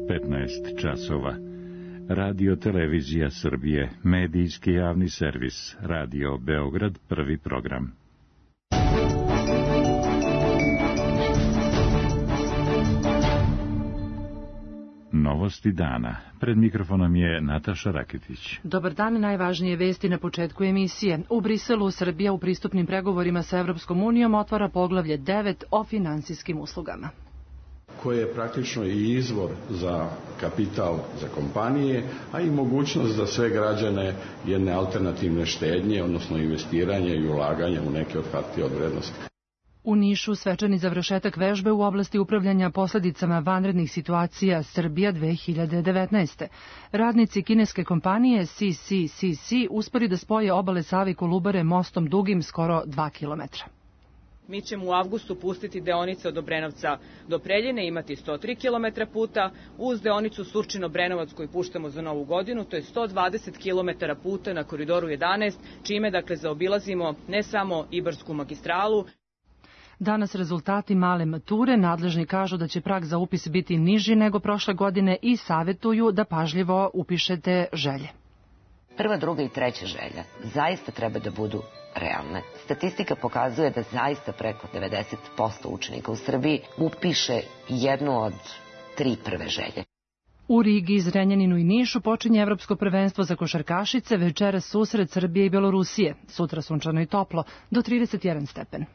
15 časova. Radio Televizija Srbije, medijski javni servis, Radio Beograd, prvi program. Novosti dana. Pred mikrofonom je Nataša Raketić. Dobar dan, najvažnije vesti na početku emisije. U Briselu Srbija u pristupnim pregovorima sa Evropskom unijom otvara poglavlje 9 o finansijskim uslugama, koje je praktično i izvor za kapital za kompanije, a i mogućnost za sve građane jedne alternativne štednje, odnosno investiranja i ulaganja u neke od hartija od vrednosti. U Nišu svečani završetak vežbe u oblasti upravljanja posljedicama vanrednih situacija Srbija 2019. Radnici kineske kompanije CCCC uspeli da spoje obale Save i Kolubare mostom dugim skoro 2 kilometra. Mi ćemo u avgustu pustiti deonice od Obrenovca do Preljine, imati 103 km puta, uz deonicu Surčin-Obrenovac koju puštamo za Novu godinu, to je 120 km puta na koridoru 11, čime zaobilazimo ne samo Ibarsku magistralu. Danas rezultati male mature, nadležni kažu da će prag za upis biti niži nego prošle godine i savjetuju da pažljivo upišete želje. Prva, druga i treća želja zaista treba da budu realne. Statistika pokazuje da zaista preko 90% učenika u Srbiji upiše jednu od 3 prve želje. U Rigi, Zrenjaninu i Nišu počinje Evropsko prvenstvo za košarkašice, večeras susret Srbije i Belorusije. Sutra sunčano i toplo, do 31 stepen.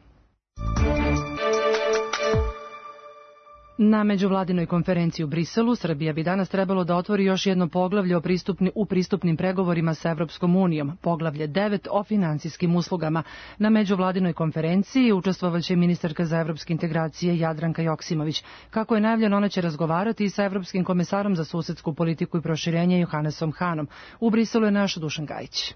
Na međuvladinoj konferenciji u Briselu Srbija bi danas trebalo da otvori još jedno poglavlje u pristupnim pregovorima sa Evropskom unijom, poglavlje 9 o finansijskim uslugama. Na međuvladinoj konferenciji učestvovaće ministarka za evropske integracije Jadranka Joksimović. Kako je najavljeno, ona će razgovarati i sa evropskim komesarom za susedsku politiku i proširenje Johannesom Hanom. U Briselu je naš Dušan Gajić.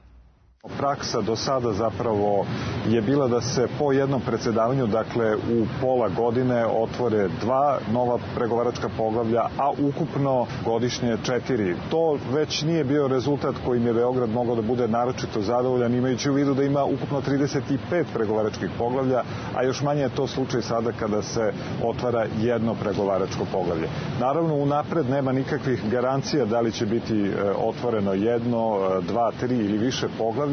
Praksa do sada zapravo je bila da se po jednom predsjedavanju, dakle u pola godine, otvore 2 nova pregovaračka poglavlja, a ukupno godišnje 4. To već nije bio rezultat kojim je Beograd mogao da bude naročito zadovoljan, imajući u vidu da ima ukupno 35 pregovaračkih poglavlja, a još manje je to slučaj sada kada se otvara jedno pregovaračko poglavlje. Naravno, unapred nema nikakvih garancija da li će biti otvoreno 1, 2, 3 ili više poglavlja.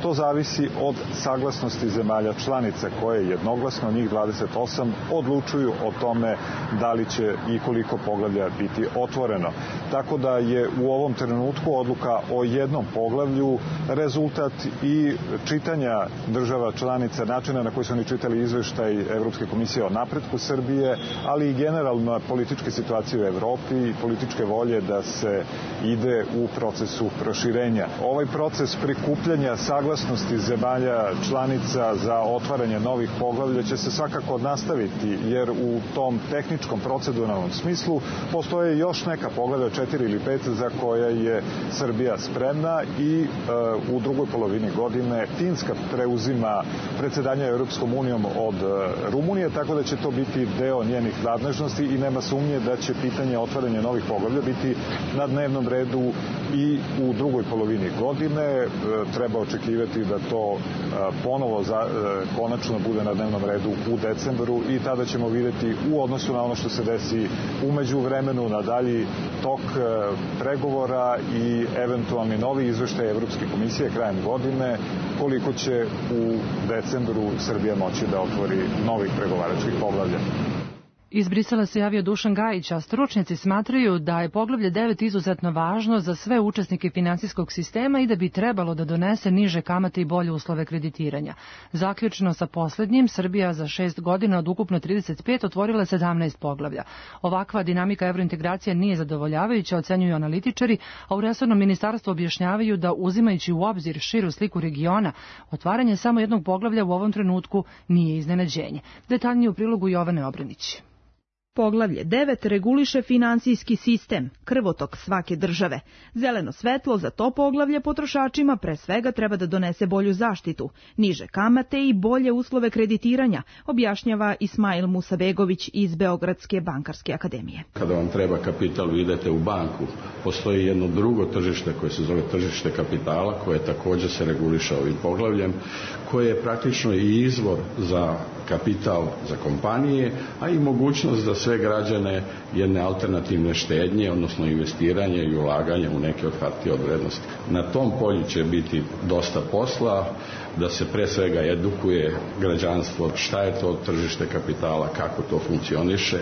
To zavisi od saglasnosti zemalja članica koje jednoglasno, njih 28, odlučuju o tome da li će i koliko poglavlja biti otvoreno. Tako da je u ovom trenutku odluka o jednom poglavlju rezultat i čitanja država članica, načina na koji su oni čitali izveštaj Evropske komisije o napretku Srbije, ali i generalno političke situacije u Evropi i političke volje da se ide u procesu proširenja. Ovaj proces prikupljanja saglasnosti zemalja članica za otvaranje novih poglavlja će se svakako nastaviti, jer u tom tehničkom proceduralnom smislu postoje još neka poglavlja, 4 ili 5, za koja je Srbija spremna i u drugoj polovini godine Finska preuzima predsjedanje Europskom unijom od Rumunije, tako da će to biti deo njenih nadležnosti i nema sumnje da će pitanje otvaranja novih poglavlja biti na dnevnom redu i u drugoj polovini godine. Treba očekivati da to ponovo konačno bude na dnevnom redu u decembru i tada ćemo vidjeti u odnosu na ono što se desi u međuvremenu na dalji tok pregovora i eventualni novi izveštaj Evropske komisije krajem godine, koliko će u decembru Srbija moći da otvori novih pregovaračkih poglavlja. Iz Brisela se javio Dušan Gajić, a stručnjaci smatraju da je poglavlje 9 izuzetno važno za sve učesnike finansijskog sistema i da bi trebalo da donese niže kamate i bolje uslove kreditiranja. Zaključno sa posljednjim, Srbija za 6 godina od ukupno 35 otvorila 17 poglavlja. Ovakva dinamika evrointegracija nije zadovoljavajuća, ocenjuju analitičari, a u resornom ministarstvu objašnjavaju da, uzimajući u obzir širu sliku regiona, otvaranje samo jednog poglavlja u ovom trenutku nije iznenađenje. Detaljnije u prilogu Jovane Obranić. Poglavlje 9 reguliše finansijski sistem, krvotok svake države. Zeleno svetlo za to poglavlje potrošačima pre svega treba da donese bolju zaštitu, niže kamate i bolje uslove kreditiranja, objašnjava Ismail Musabegović iz Beogradske bankarske akademije. Kada vam treba kapital, vi idete u banku. Postoji jedno drugo tržište koje se zove tržište kapitala, koje također se reguliše ovim poglavljem, koje je praktično i izvor za kapital za kompanije, a i mogućnost za sve građane jedne alternativne štednje, odnosno investiranja i ulaganja u neke od hartija od vrednosti. Na tom polju će biti dosta posla, da se pre svega edukuje građanstvo šta je to tržište kapitala, kako to funkcioniše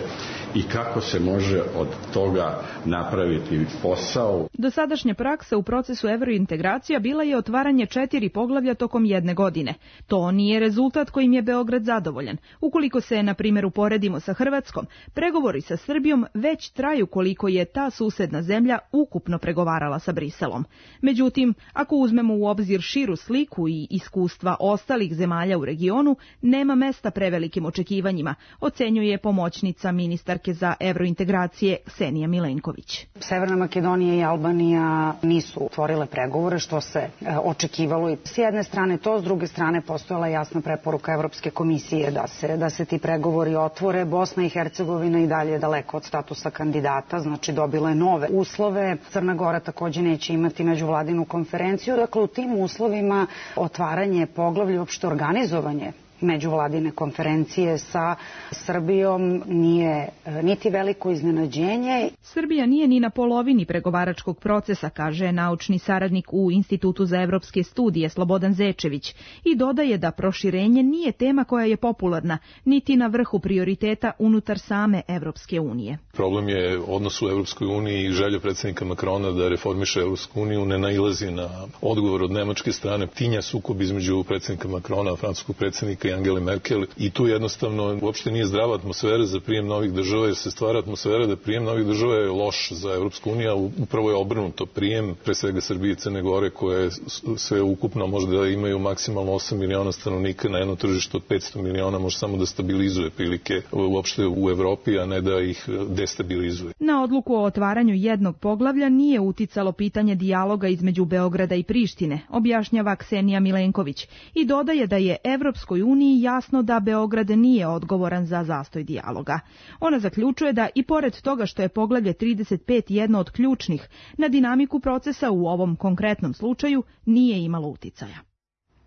i kako se može od toga napraviti posao. Dosadašnja praksa u procesu evrointegracija bila je otvaranje 4 poglavlja tokom jedne godine. To nije rezultat kojim je Beograd zadovoljan. Ukoliko se, na primjer, uporedimo sa Hrvatskom, pregovori sa Srbijom već traju koliko je ta susedna zemlja ukupno pregovarala sa Briselom. Međutim, ako uzmemo u obzir širu sliku i iskustva ostalih zemalja u regionu, nema mesta prevelikim očekivanjima, ocenjuje pomoćnica ministarke za evrointegracije Ksenija Milenković. Severna Makedonija i Albanija nisu otvorile pregovore, što se očekivalo i s jedne strane to, s druge strane postojala jasna preporuka Evropske komisije da se ti pregovori otvore. Bosna i Hercegovina i dalje je daleko od statusa kandidata, znači dobila je nove uslove. Crna Gora takođe neće imati međuvladinu konferenciju. Dakle, u tim uslovima otvaranje poglavlja, uopšte organizovanje međuvladine konferencije sa Srbijom nije niti veliko iznenađenje. Srbija nije ni na polovini pregovaračkog procesa, kaže naučni saradnik u Institutu za evropske studije Slobodan Zečević i dodaje da proširenje nije tema koja je popularna, niti na vrhu prioriteta unutar same Evropske unije. Problem je odnos u Evropskoj uniji i želja predsjednika Makrona da reformiše Evropsku uniju ne nailazi na odgovor od nemačke strane. Tinja sukob između predsjednika Makrona, francuskog predsjednika i Angele Merkel i tu jednostavno uopšte nije zdrava atmosfera za prijem novih država, jer se stvara atmosfera da prijem novih država je loš za Evropsku uniju, a upravo je obrnuto. Prijem pre svega Srbije i Crne Gore koje sve ukupno možda imaju maksimalno 8 miliona stanovnika na jedno tržište od 500 miliona može samo da stabilizuje prilike uopšte u Evropi, a ne da ih destabilizuje. Na odluku o otvaranju jednog poglavlja nije uticalo pitanje dijaloga između Beograda i Prištine, objašnjava Ksenija Milenković i dodaje da je Evropskoj uniji jasno da Beograd nije odgovoran za zastoj dijaloga. Ona zaključuje da i pored toga što je poglavlje 35 jedno od ključnih, na dinamiku procesa u ovom konkretnom slučaju nije imalo uticaja.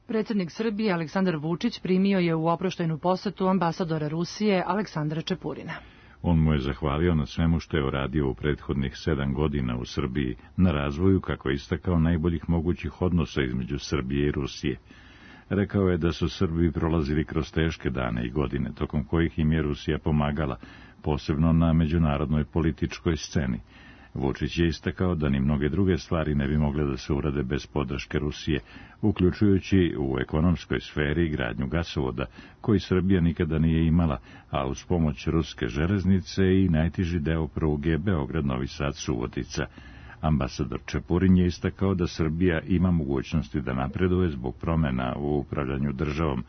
Predsjednik Srbije Aleksandar Vučić primio je u oproštajnu posetu ambasadora Rusije Aleksandra Čepurina. On mu je zahvalio na svemu što je uradio u prethodnih 7 godina u Srbiji, na razvoju, kako je istakao, najboljih mogućih odnosa između Srbije i Rusije. Rekao je da su Srbi prolazili kroz teške dane i godine, tokom kojih im je Rusija pomagala, posebno na međunarodnoj političkoj sceni. Vučić je istakao da ni mnoge druge stvari ne bi mogle da se urade bez podrške Rusije, uključujući u ekonomskoj sferi gradnju gasovoda, koji Srbija nikada nije imala, a uz pomoć ruske železnice i najteži deo pruge Beograd-Novi Sad-Subotica. Ambasador Čepurin je istakao da Srbija ima mogućnosti da napreduje zbog promjena u upravljanju državom.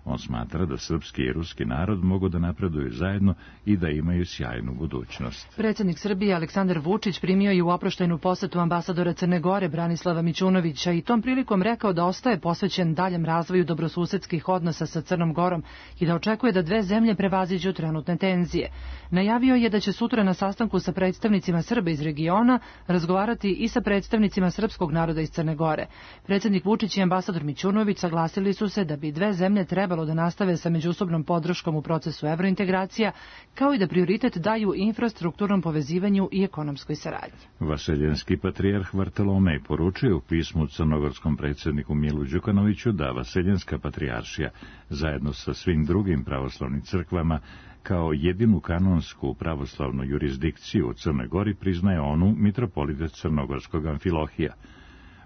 On smatra da srpski i ruski narod mogu da napreduju zajedno i da imaju sjajnu budućnost. Predsjednik Srbije Aleksandar Vučić primio je u oproštajnu posetu ambasadora Crne Gore Branislava Mićunovića i tom prilikom rekao da ostaje posvećen daljem razvoju dobrosusedskih odnosa sa Crnom Gorom i da očekuje da dve zemlje prevaziđu trenutne tenzije. Najavio je da će sutra na sastanku sa predstavnicima Srba iz regiona razgovarati i sa predstavnicima srpskog naroda iz Crne Gore. Predsjednik Vučić i ambasador Mićunović saglasili su se da bi dve zemlje trebalo da nastave sa međusobnom podrškom u procesu evrointegracija, kao i da prioritet daju infrastrukturnom povezivanju i ekonomskoj saradnji. Vaseljenski patrijarh Vartolomej poručuje u pismu crnogorskom predsjedniku Milu Đukanoviću da Vaseljenska patrijaršija, zajedno sa svim drugim pravoslavnim crkvama, kao jedinu kanonsku pravoslavnu jurisdikciju u Crnoj Gori priznaje onu mitropolita crnogorskog Amfilohija.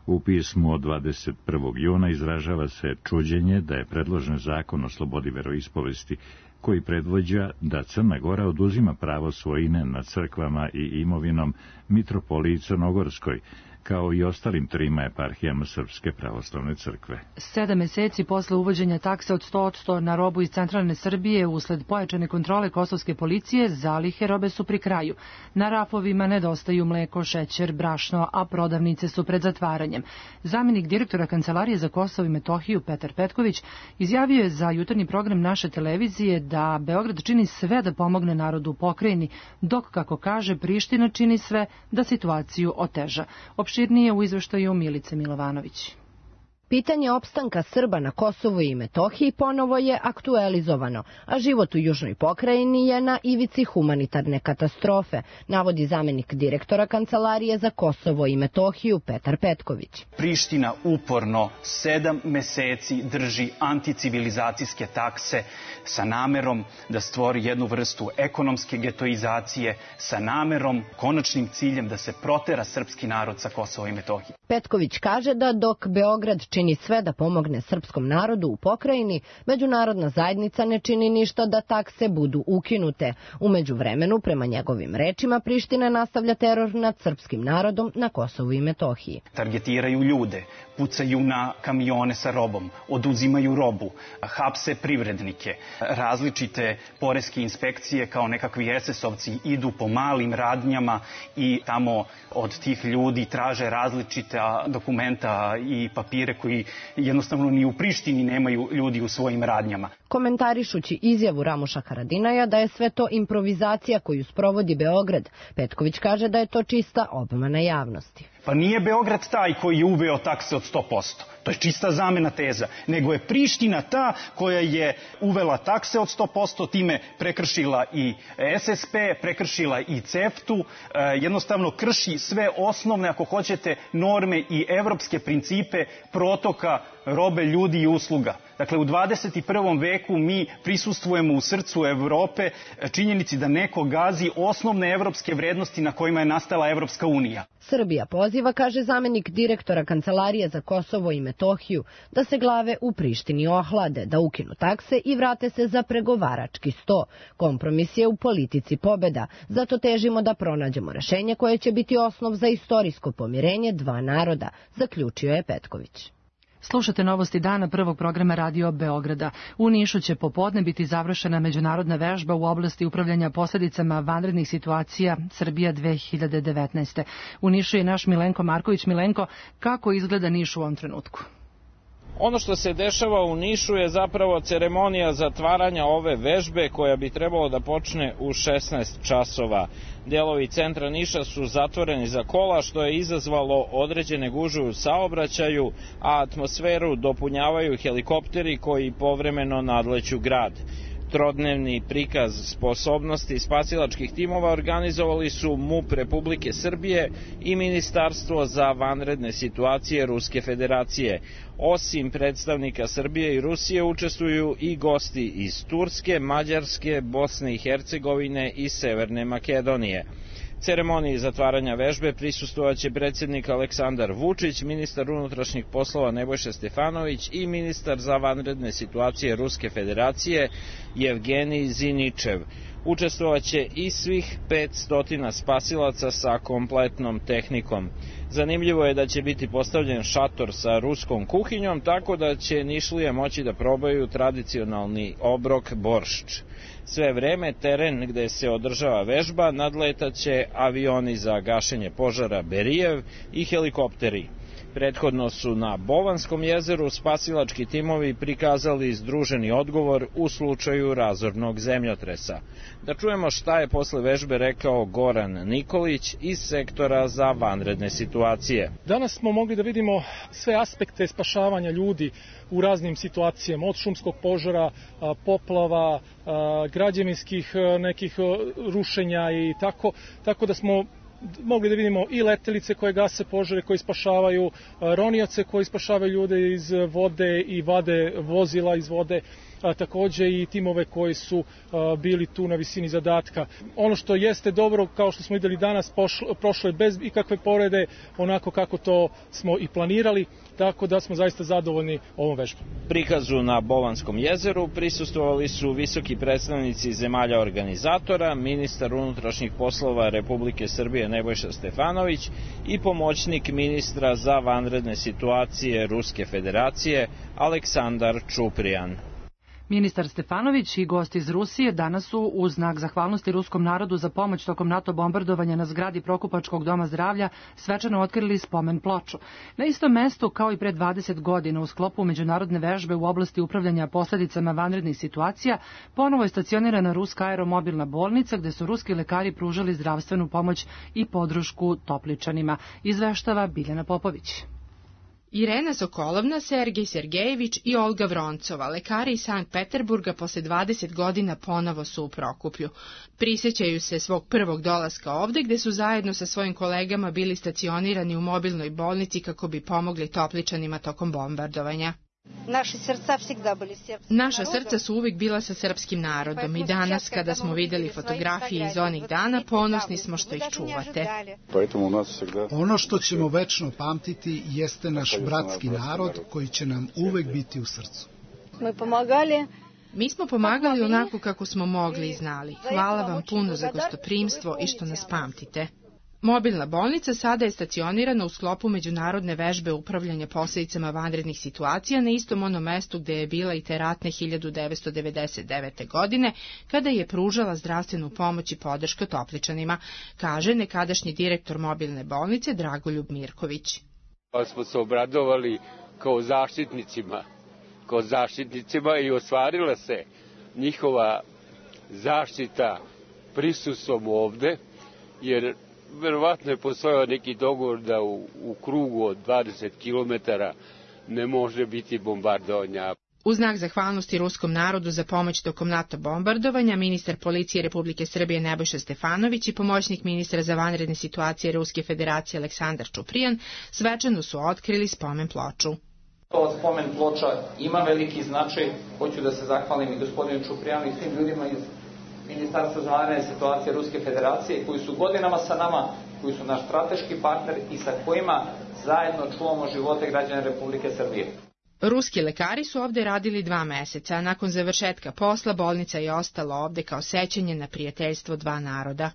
U pismu od 21. juna izražava se čuđenje da je predložen zakon o slobodi veroispovesti, koji predvođa da Crna Gora oduzima pravo svojine nad crkvama i imovinom mitropoliji Crnogorskoj, kao i ostalim 3 eparhijama Srpske pravoslavne crkve. 7 meseci posle uvođenja takse od 100% na robu iz centralne Srbije usled pojačane kontrole kosovske policije, zalihe robe su pri kraju. Na rafovima nedostaju mleko, šećer, brašno, a prodavnice su pred zatvaranjem. Zamenik direktora Kancelarije za Kosovo i Metohiju Petar Petković izjavio je za jutarnji program naše televizije da Beograd čini sve da pomogne narodu u pokrajini, dok, kako kaže, Priština čini sve da situaciju oteža. Opširnije u izveštaju Milice Milovanović. Pitanje opstanka Srba na Kosovu i Metohiji ponovo je aktualizovano, a život u južnoj pokrajini je na ivici humanitarne katastrofe, navodi zamenik direktora Kancelarije za Kosovo i Metohiju Petar Petković. Priština uporno 7 meseci drži anticivilizacijske takse sa namerom da stvori jednu vrstu ekonomske getoizacije, sa namerom, konačnim ciljem da se protera srpski narod sa Kosova i Metohije. Petković kaže da dok Beograd čini sve da pomogne srpskom narodu u pokrajini, međunarodna zajednica ne čini ništa da takse budu ukinute. U međuvremenu, prema njegovim rečima, Priština nastavlja teror nad srpskim narodom na Kosovu i Metohiji. Targetiraju ljude, pucaju na kamione sa robom, oduzimaju robu, hapse privrednike. Različite poreske inspekcije kao nekakvi SS-ovci idu po malim radnjama i tamo od tih ljudi traže različita dokumenta i papire koji jednostavno ni u Prištini nemaju ljudi u svojim radnjama. Komentarišući izjavu Ramuša Haradinaja da je sve to improvizacija koju sprovodi Beograd, Petković kaže da je to čista obmana javnosti. Pa nije Beograd taj koji je uveo takse od 100%. To je čista zamena teza. Nego je Priština ta koja je uvela takse od 100%, time prekršila i SSP, prekršila i CEFTA-u, jednostavno krši sve osnovne, ako hoćete, norme i evropske principe protoka robe, ljudi i usluga. Dakle, u 21. veku mi prisustvujemo u srcu Evrope činjenici da neko gazi osnovne evropske vrednosti na kojima je nastala Evropska unija. Srbija poziva, kaže zamenik direktora Kancelarije za Kosovo i Metohiju, da se glave u Prištini ohlade, da ukinu takse i vrate se za pregovarački sto. Kompromis je u politici pobeda, zato težimo da pronađemo rešenje koje će biti osnov za istorijsko pomirenje dva naroda, zaključio je Petković. Slušate novosti dana prvog programa Radio Beograda. U Nišu će popodne biti završena međunarodna vežba u oblasti upravljanja posljedicama vanrednih situacija Srbija 2019. U Nišu je naš Milenko Marković. Milenko, kako izgleda Niš u ovom trenutku? Ono što se dešava u Nišu je zapravo ceremonija zatvaranja ove vežbe koja bi trebalo da počne u 16 časova. Delovi centra Niša su zatvoreni za kola, što je izazvalo određene gužve u saobraćaju, a atmosferu dopunjavaju helikopteri koji povremeno nadleću grad. Trodnevni prikaz sposobnosti spasilačkih timova organizovali su MUP Republike Srbije i Ministarstvo za vanredne situacije Ruske federacije. Osim predstavnika Srbije i Rusije učestvuju i gosti iz Turske, Mađarske, Bosne i Hercegovine i Severne Makedonije. Ceremoniji zatvaranja vežbe prisustvovaće predsjednik Aleksandar Vučić, ministar unutrašnjih poslova Nebojša Stefanović i ministar za vanredne situacije Ruske federacije Jevgenij Ziničev. Učestvovaće i svih 500 spasilaca sa kompletnom tehnikom. Zanimljivo je da će biti postavljen šator sa ruskom kuhinjom, tako da će Nišlije moći da probaju tradicionalni obrok boršč. Sve vreme teren gde se održava vežba nadletaće avioni za gašenje požara Berijev i helikopteri. Prethodno su na Bovanskom jezeru spasilački timovi prikazali združeni odgovor u slučaju razornog zemljotresa. Da čujemo šta je posle vežbe rekao Goran Nikolić iz sektora za vanredne situacije. Danas smo mogli da vidimo sve aspekte spašavanja ljudi u raznim situacijama, od šumskog požara, poplava, građevinskih nekih rušenja i tako da smo mogli da vidimo i letelice koje gase požare, koji spašavaju, ronioce koji spašavaju ljude iz vode i vade vozila iz vode, takođe i timove koji su bili tu na visini zadatka. Ono što jeste dobro, kao što smo videli danas, prošlo je bez ikakve povrede, onako kako to smo i planirali, tako da smo zaista zadovoljni ovom vežbom. Prikazu na Bovanskom jezeru prisustvovali su visoki predstavnici zemalja organizatora, ministar unutrašnjih poslova Republike Srbije Nebojša Stefanović i pomoćnik ministra za vanredne situacije Ruske federacije Aleksandar Čuprijan. Ministar Stefanović i gosti iz Rusije danas su u znak zahvalnosti ruskom narodu za pomoć tokom NATO bombardovanja na zgradi Prokupačkog doma zdravlja svečano otkrili spomen ploču. Na istom mestu kao i pre 20 godina u sklopu međunarodne vežbe u oblasti upravljanja posledicama vanrednih situacija ponovo je stacionirana ruska aeromobilna bolnica gde su ruski lekari pružali zdravstvenu pomoć i podršku Topličanima, izveštava Biljana Popović. Irena Sokolovna, Sergej Sergejević i Olga Vroncova, lekari iz Sankt Peterburga, posle 20 godina ponovo su u Prokuplju. Prisjećaju se svog prvog dolaska ovde, gde su zajedno sa svojim kolegama bili stacionirani u mobilnoj bolnici kako bi pomogli Topličanima tokom bombardovanja. Naša srca su uvijek bila sa srpskim narodom i danas, kada smo vidjeli fotografije iz onih dana, ponosni smo što ih čuvate. Ono što ćemo večno pamtiti jeste naš bratski narod koji će nam uvijek biti u srcu. Mi smo pomagali onako kako smo mogli i znali. Hvala vam puno za gostoprimstvo i što nas pamtite. Mobilna bolnica sada je stacionirana u sklopu međunarodne vežbe upravljanja posljedicama vanrednih situacija na istom onom mestu gde je bila i te ratne 1999. godine, kada je pružala zdravstvenu pomoć i podršku Topličanima, kaže nekadašnji direktor mobilne bolnice Dragoljub Mirković. Smo se obradovali kao zaštitnicima i ostvarila se njihova zaštita prisustvom ovde, jer verovatno je postojao neki dogovor da u krugu od 20 km ne može biti bombardovanja. U znak zahvalnosti ruskom narodu za pomoć tokom NATO bombardovanja, ministar policije Republike Srbije Nebojša Stefanović i pomoćnik ministra za vanredne situacije Ruske federacije Aleksandar Čuprijan svečano su otkrili spomen ploču. Ova spomen ploča ima veliki značaj. Hoću da se zahvalim i gospodinu Čuprijanu i svim ljudima iz Ministarstva za vanredne situacije Ruske federacije, koji su godinama sa nama, koji su naš strateški partner i sa kojima zajedno čuvamo živote građana Republike Srbije. Ruski lekari su ovde radili 2 meseca, a nakon završetka posla bolnica je ostala ovde kao sećanje na prijateljstvo dva naroda.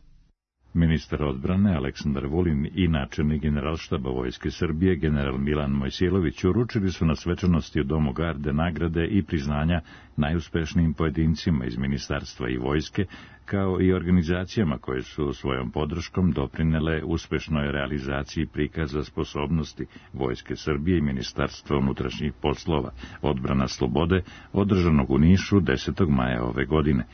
Ministar odbrane Aleksandar Vulin i načelnik Generalštaba Vojske Srbije general Milan Mojsilović uručili su na svečanosti u Domu garde nagrade i priznanja najuspešnijim pojedincima iz ministarstva i vojske, kao i organizacijama koje su svojom podrškom doprinele uspešnoj realizaciji prikaza sposobnosti Vojske Srbije i Ministarstva unutrašnjih poslova Odbrana slobode, održanog u Nišu 10. maja ove godine.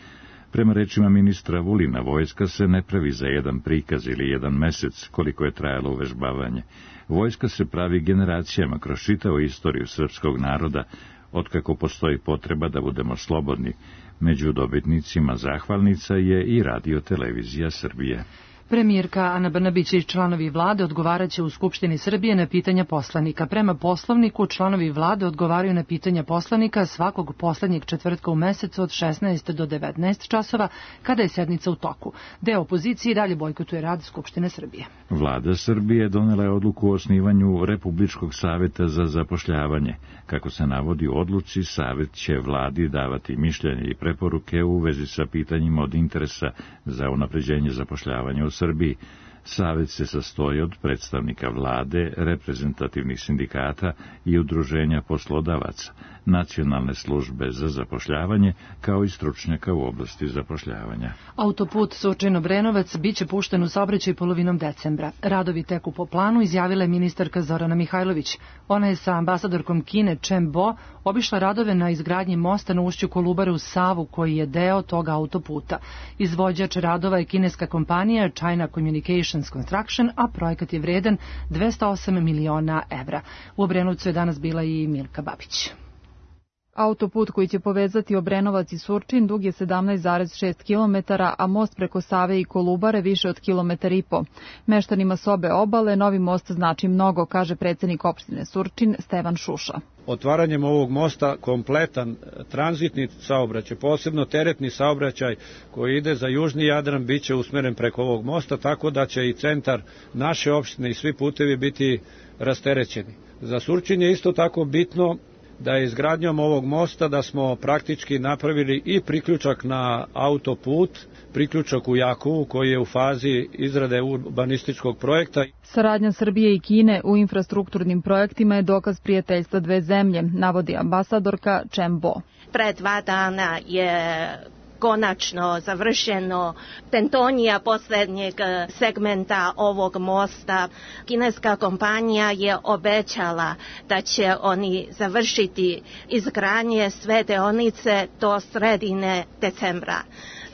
Prema rečima ministra Vulina, vojska se ne pravi za jedan prikaz ili jedan mesec, koliko je trajalo uvežbavanje. Vojska se pravi generacijama kroz čitavu istoriju srpskog naroda, otkako postoji potreba da budemo slobodni. Među dobitnicima zahvalnica je i Radio-televizija Srbije. Premijerka Ana Brnabić i članovi vlade odgovaraće u Skupštini Srbije na pitanja poslanika. Prema poslovniku, članovi vlade odgovaraju na pitanja poslanika svakog poslednjeg četvrtka u mesecu od 16 do 19 časova, kada je sednica u toku. Deo opozicije dalje bojkotuje rad Skupštine Srbije. Vlada Srbije donela je odluku o osnivanju Republičkog saveta za zapošljavanje. Kako se navodi u odluci, savet će vladi davati mišljenje i preporuke u vezi sa pitanjima od interesa za unapređenje zapošljavanja u Srbiji. Savet se sastoji od predstavnika vlade, reprezentativnih sindikata i udruženja poslodavaca, nacionalne službe za zapošljavanje, kao i stručnjaka u oblasti zapošljavanja. Autoput Surčin-Obrenovac biće pušten u saobraćaj polovinom decembra. Radovi teku po planu, izjavila je ministarka Zorana Mihajlović. Ona je sa ambasadorkom Kine Chen Bo obišla radove na izgradnji mosta na ušću Kolubare u Savu, koji je deo toga autoputa. Izvođač radova je kineska kompanija China Communications Construction, a projekat je vredan 208 miliona evra. U Obrenovcu je danas bila i Milka Babić. Autoput koji će povezati Obrenovac i Surčin dug je 17,6 km, a most preko Save i Kolubare više od 1,5 km. Meštanima s obe obale novi most znači mnogo, kaže predsednik opštine Surčin Stevan Šuša. Otvaranjem ovog mosta kompletan tranzitni saobraćaj, posebno teretni saobraćaj koji ide za južni Jadran, biće usmeren preko ovog mosta, tako da će i centar naše opštine i svi putevi biti rasterećeni. Za Surčin je isto tako bitno da je izgradnjom ovog mosta da smo praktički napravili i priključak na autoput, priključak u Jakovu koji je u fazi izrade urbanističkog projekta. Saradnja Srbije i Kine u infrastrukturnim projektima je dokaz prijateljstva dve zemlje, navodi ambasadorka Chen Bo. Pre 2 dana je konačno završeno tentonija posljednjeg segmenta ovog mosta. Kineska kompanija je obećala da će oni završiti izgradnje sve deonice do sredine decembra.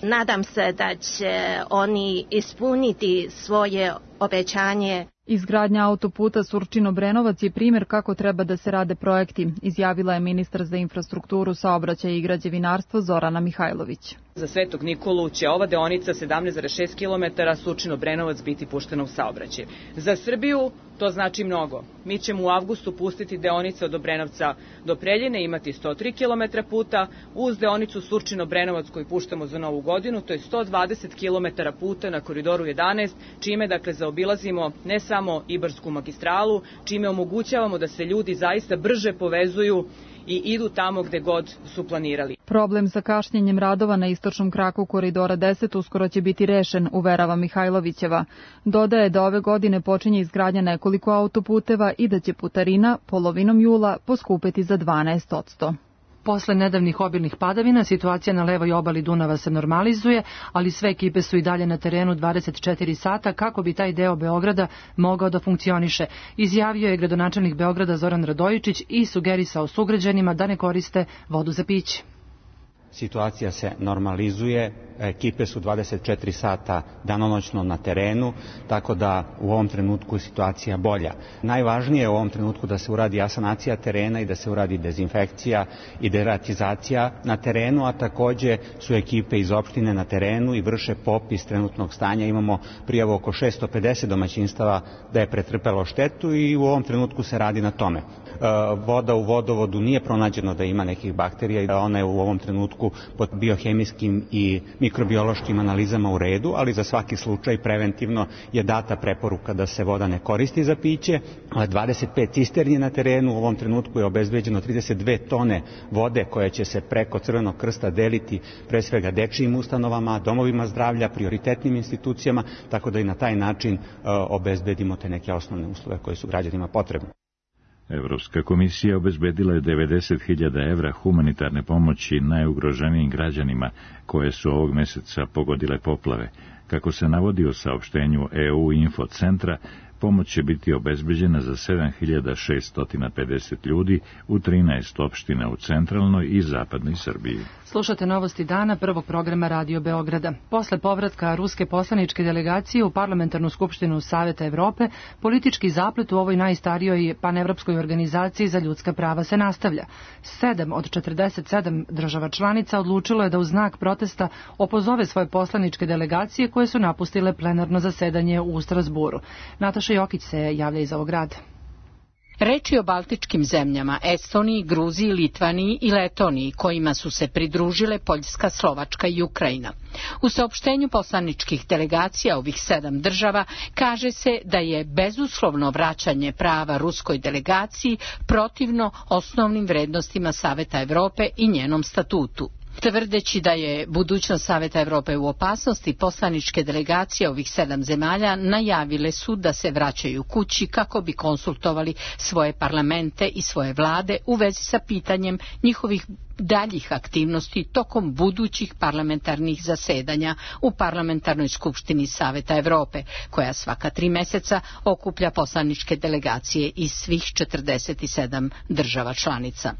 Nadam se da će oni ispuniti svoje obećanje. Izgradnja autoputa Surčin-Obrenovac je primjer kako treba da se rade projekti, izjavila je ministar za infrastrukturu, saobraćaj i građevinarstvo Zorana Mihajlović. Za Svetog Nikolu će ova deonica 17,6 km Surčin-Obrenovac biti puštena u saobraćaj. Za Srbiju to znači mnogo. Mi ćemo u avgustu pustiti deonice od Obrenovca do Preljine, imati 103 km puta, uz deonicu Surčin-Obrenovac koju puštamo za Novu godinu, to je 120 km puta na koridoru 11, čime dakle zaobilazimo ne samo Ibarsku magistralu, čime omogućavamo da se ljudi zaista brže povezuju i idu tamo gde god su planirali. Problem sa kašnjenjem radova na istočnom kraku koridora 10 uskoro će biti rešen, uverava Mihajlovićeva. Dodaje da ove godine počinje izgradnja nekoliko autoputeva i da će putarina polovinom jula poskupeti za 12%. Posle nedavnih obilnih padavina, situacija na levoj obali Dunava se normalizuje, ali sve ekipe su i dalje na terenu 24 sata kako bi taj deo Beograda mogao da funkcioniše. Izjavio je gradonačelnik Beograda Zoran Radojičić i sugerisao sugrađanima da ne koriste vodu za piće. Situacija se normalizuje, ekipe su 24 sata danonoćno na terenu, tako da u ovom trenutku je situacija bolja. Najvažnije je u ovom trenutku da se uradi asanacija terena i da se uradi dezinfekcija i deratizacija na terenu, a takođe su ekipe iz opštine na terenu i vrše popis trenutnog stanja. Imamo prijavu oko 650 domaćinstava da je pretrpelo štetu i u ovom trenutku se radi na tome. Voda u vodovodu nije pronađeno da ima nekih bakterija, ona je u ovom trenutku pod biohemijskim i mikrobiološkim analizama u redu, ali za svaki slučaj preventivno je data preporuka da se voda ne koristi za piće. 25 cisterni na terenu, u ovom trenutku je obezbeđeno 32 tone vode koje će se preko Crvenog krsta deliti pre svega dečijim ustanovama, domovima zdravlja, prioritetnim institucijama, tako da i na taj način obezbedimo te neke osnovne uslove koje su građanima potrebne. Evropska komisija obezbedila je 90.000 evra humanitarne pomoći najugroženijim građanima koje su ovog meseca pogodile poplave. Kako se navodi u saopštenju EU Info centra, pomoć će biti obezbeđena za 7.650 ljudi u 13 opština u centralnoj i zapadnoj Srbiji. Slušate novosti dana prvog programa Radio Beograda. Posle povratka ruske poslaničke delegacije u Parlamentarnu skupštinu Saveta Evrope, politički zaplet u ovoj najstarijoj panevropskoj organizaciji za ljudska prava se nastavlja. 7 od 47 država članica odlučilo je da u znak protesta opozove svoje poslaničke delegacije koje su napustile plenarno zasedanje u Strasburu. Nataša Jokić se javlja iz ovog grada. Reč je o baltičkim zemljama, Estoniji, Gruziji, Litvaniji i Letoniji, kojima su se pridružile Poljska, Slovačka i Ukrajina. U saopštenju poslaničkih delegacija ovih 7 država kaže se da je bezuslovno vraćanje prava ruskoj delegaciji protivno osnovnim vrednostima Saveta Evrope i njenom statutu. Tvrdeći da je budućnost Saveta Evrope u opasnosti, poslaničke delegacije ovih 7 zemalja najavile su da se vraćaju kući kako bi konsultovali svoje parlamente i svoje vlade u vezi sa pitanjem njihovih daljih aktivnosti tokom budućih parlamentarnih zasedanja u Parlamentarnoj skupštini Saveta Evrope, koja svaka 3 meseca okuplja poslaničke delegacije iz svih 47 država članica.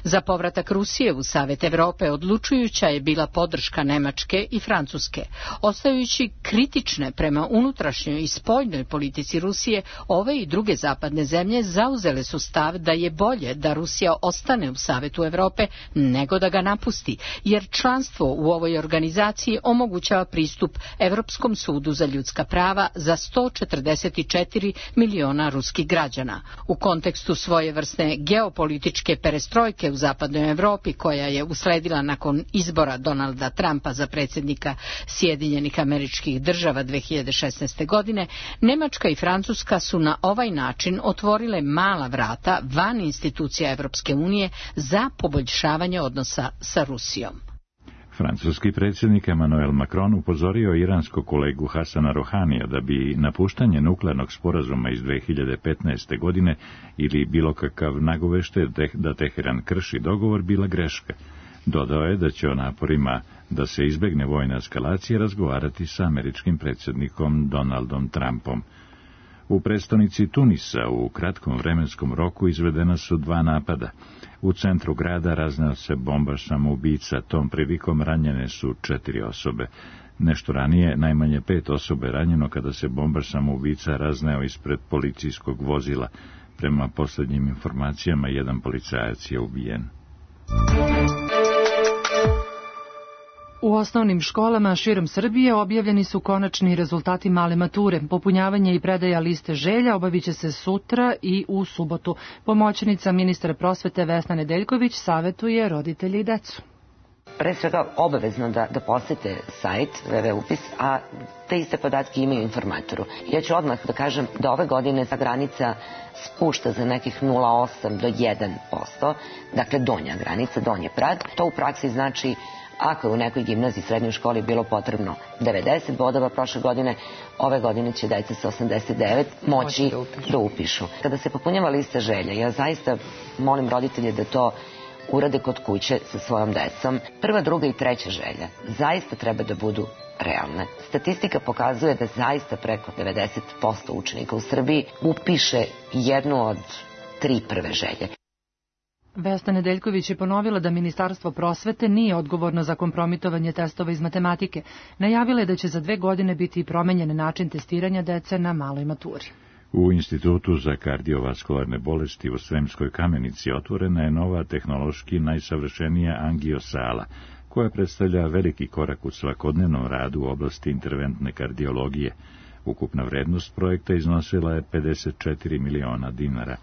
Za povratak Rusije u Savet Evrope odlučujuća je bila podrška Nemačke i Francuske. Ostajući kritične prema unutrašnjoj i spoljnoj politici Rusije, ove i druge zapadne zemlje zauzele su stav da je bolje da Rusija ostane u Savetu Evrope nego da ga napusti, jer članstvo u ovoj organizaciji omogućava pristup Evropskom sudu za ljudska prava za 144 miliona ruskih građana. U kontekstu svojevrsne geopolitičke perestrojke u zapadnoj Evropi, koja je usledila nakon izbora Donalda Trumpa za predsjednika Sjedinjenih Američkih Država 2016. godine, Nemačka i Francuska su na ovaj način otvorile mala vrata van institucija Evropske unije za poboljšavanje odnosa sa Rusijom. Francuski predsjednik Emmanuel Macron upozorio iranskog kolegu Hasana Rohanija da bi napuštanje nuklearnog sporazuma iz 2015. godine ili bilo kakav nagovešte da Teheran krši dogovor bila greška. Dodao je da će o naporima da se izbegne vojna eskalacija razgovarati sa američkim predsjednikom Donaldom Trumpom. U prestonici Tunisa u kratkom vremenskom roku izvedena su 2 napada. U centru grada razneo se bomba samoubica, tom prilikom ranjene su 4 osobe. Nešto ranije, najmanje 5 osobe ranjeno kada se bombaš samoubica razneo ispred policijskog vozila. Prema posljednjim informacijama, 1 policajac je ubijen. U osnovnim školama širom Srbije objavljeni su konačni rezultati male mature. Popunjavanje i predaja liste želja obavit će se sutra i u subotu. Pomoćnica ministra prosvete Vesna Nedeljković savetuje roditelji i decu. Pre svega obavezno da posete sajt www.upis, a te iste podatke imaju informatoru. Ja ću odmah da kažem da ove godine ta granica spušta za nekih 0,8 do 1%, dakle donja granica, donji prag. To u praksi znači ako je u nekoj gimnaziji, srednjoj školi bilo potrebno 90 bodova prošle godine, ove godine će deca sa 89 moći da upišu. Kada se popunjava lista želja, ja zaista molim roditelje da to urade kod kuće sa svojom decom. Prva, druga i treća želja zaista treba da budu realne. Statistika pokazuje da zaista preko 90% učenika u Srbiji upiše jednu od 3 prve želje. Vesna Nedeljković je ponovila da Ministarstvo prosvete nije odgovorno za kompromitovanje testova iz matematike. Najavila je da će za 2 godine biti promenjen način testiranja dece na maloj maturi. U Institutu za kardiovaskularne bolesti u Sremskoj Kamenici otvorena je nova tehnološki najsavršenija angiosala, koja predstavlja veliki korak u svakodnevnom radu u oblasti interventne kardiologije. Ukupna vrednost projekta iznosila je 54 miliona dinara.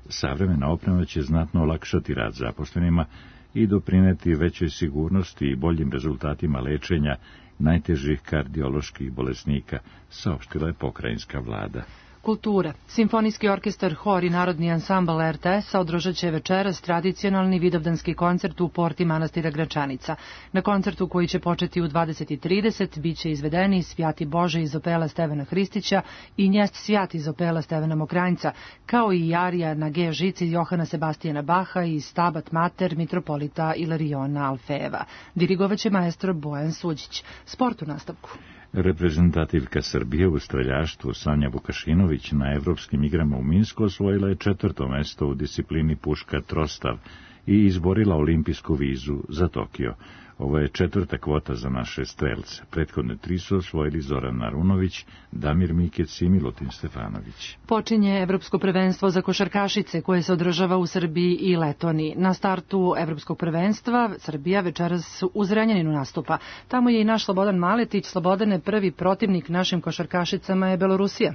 Savremena oprema će znatno olakšati rad zaposlenima i doprineti većoj sigurnosti i boljim rezultatima lečenja najtežih kardioloških bolesnika, saopštila je pokrajinska vlada. Kultura. Simfonijski orkestar, hor i narodni ansambl RTS-a održat će večeras tradicionalni vidovdanski koncert u porti manastira Gračanica. Na koncertu, koji će početi u 20:30, bit će izvedeni Svjati Bože iz opela Stevana Hristića i Njest Svjat iz opela Stevana Mokranjca, kao i arija na G žici Johana Sebastijana Baha i Stabat Mater mitropolita Ilariona Alfejeva. Dirigovaće maestro Bojan Suđić. Sport u nastavku. Reprezentativka Srbije u streljaštvu Sanja Vukašinović na evropskim igrama u Minsku osvojila je 4. mesto u disciplini puška trostav i izborila olimpijsku vizu za Tokio. Ovo je 4. kvota za naše strelce. Prethodne 3 su osvojili Zoran Narunović, Damir Mikec i Milutin Stefanović. Počinje Evropsko prvenstvo za košarkašice koje se održava u Srbiji i Letoniji. Na startu Evropskog prvenstva Srbija večeras u Zrenjaninu nastupa. Tamo je i naš Slobodan Maletić. Slobodane, prvi protivnik našim košarkašicama je Belorusija.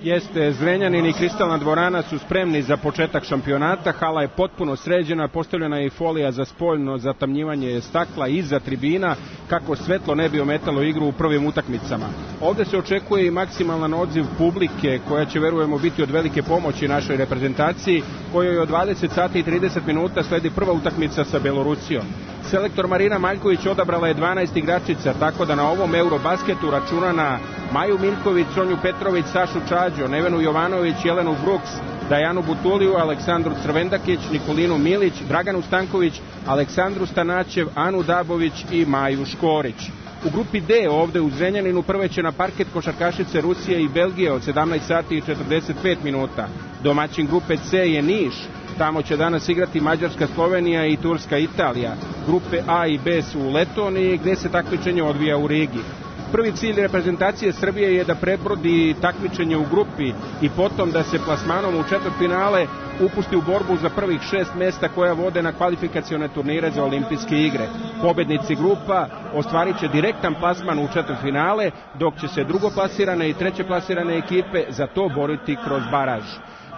Jeste, Zrenjanin i Kristalna dvorana su spremni za početak šampionata, hala je potpuno sređena, postavljena je i folija za spoljno zatamnjivanje stakla iza tribina, kako svetlo ne bi ometalo igru u prvim utakmicama. Ovde se očekuje i maksimalan odziv publike, koja će, verujemo, biti od velike pomoći našoj reprezentaciji, kojoj od 20:30 sledi prva utakmica sa Belorusijom. Selektor Marina Maljković odabrala je 12 igračica, tako da na ovom Eurobasketu računa na Maju Miljković, Sonju Petrović, Sašu Čađo, Nevenu Jovanović, Jelenu Bruks, Dajanu Butuliju, Aleksandru Crvendakić, Nikolinu Milić, Draganu Stanković, Aleksandru Stanačev, Anu Dabović i Maju Škorić. U grupi D ovde u Zrenjaninu prve će na parket košarkašice Rusije i Belgije od 17:45. Domaćin grupe C je Niš. Tamo će danas igrati Mađarska, Slovenija i Turska, Italija. Grupe A i B su u Letoniji, gde se takmičenje odvija u Rigi. Prvi cilj reprezentacije Srbije je da prebrodi takmičenje u grupi i potom da se plasmanom u četvrtfinale upusti u borbu za prvih 6 mesta koja vode na kvalifikacione turnire za olimpijske igre. Pobednici grupa ostvarit će direktan plasman u četvrtfinale, dok će se drugoplasirane i trećeplasirane ekipe za to boriti kroz baraž.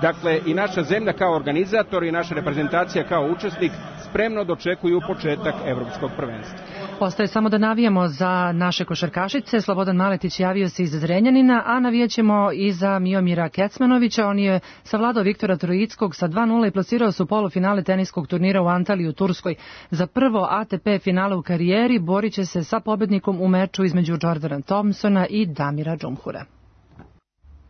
Dakle, i naša zemlja kao organizator i naša reprezentacija kao učesnik spremno dočekuju početak Evropskog prvenstva. Ostaje samo da navijamo za naše košarkašice. Slobodan Maletić javio se iz Zrenjanina, a navijaćemo i za Miomira Kecmanovića. On je savladao Viktora Trojickog sa 2:0 i plasirao se u polufinale teniskog turnira u Antaliji u Turskoj. Za prvo ATP finale u karijeri borit će se sa pobednikom u meču između Jordana Thompsona i Damira Džumhura.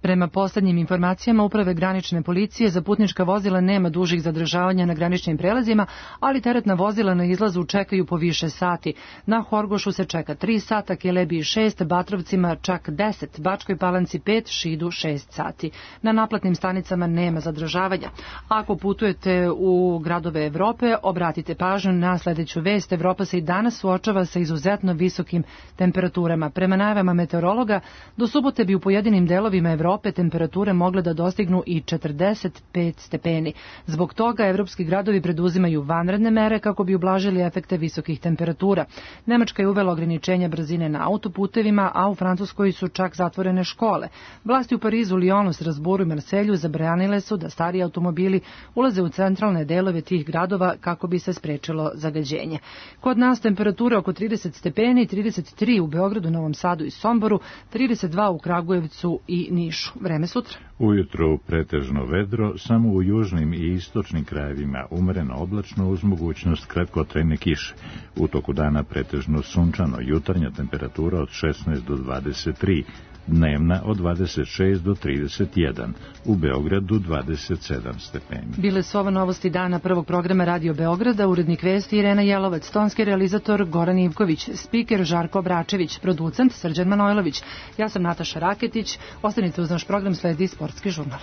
Prema poslednjim informacijama Uprave granične policije za putnička vozila nema dužih zadržavanja na graničnim prelazima, ali teretna vozila na izlazu čekaju po više sati. Na Horgošu se čeka 3 sata, Kelebiji 6, Batrovcima čak 10, Bačkoj Palanci 5, Šidu 6 sati. Na naplatnim stanicama nema zadržavanja. Ako putujete u gradove Evrope, obratite pažnju na sledeću vest. Evropa se i danas suočava sa izuzetno visokim temperaturama. Prema najavama meteorologa, do subote bi u pojedinim delovima Evrope temperature mogle da dostignu i 45 stepeni. Zbog toga evropski gradovi preduzimaju vanredne mere kako bi ublažili efekte visokih temperatura. Nemačka je uvela ograničenja brzine na autoputevima, a u Francuskoj su čak zatvorene škole. Vlasti u Parizu, Lyonu, Strasbourgu i Marselju zabranile su da stari automobili ulaze u centralne delove tih gradova kako bi se sprečilo zagađenje. Kod nas temperatura oko 30 stepeni, 33 u Beogradu, Novom Sadu i Somboru, 32 u Kragujevcu i Nišu. Vreme sutra. Ujutro pretežno vedro, samo u južnim i istočnim krajevima umereno oblačno uz mogućnost kratkotrajne kiše. U toku dana pretežno sunčano, jutarnja temperatura od 16 do 23, dnevna od 26 do 31, u Beogradu 27 stepeni. Bile su ovo novosti dana prvog programa Radio Beograda, urednik vesti Irena Jelovac, tonski realizator Goran Ivković, spiker Žarko Obračević, producent Srđan Manojlović. Ja sam Nataša Raketić, ostanite uz naš program, sledi Sportski žurnal.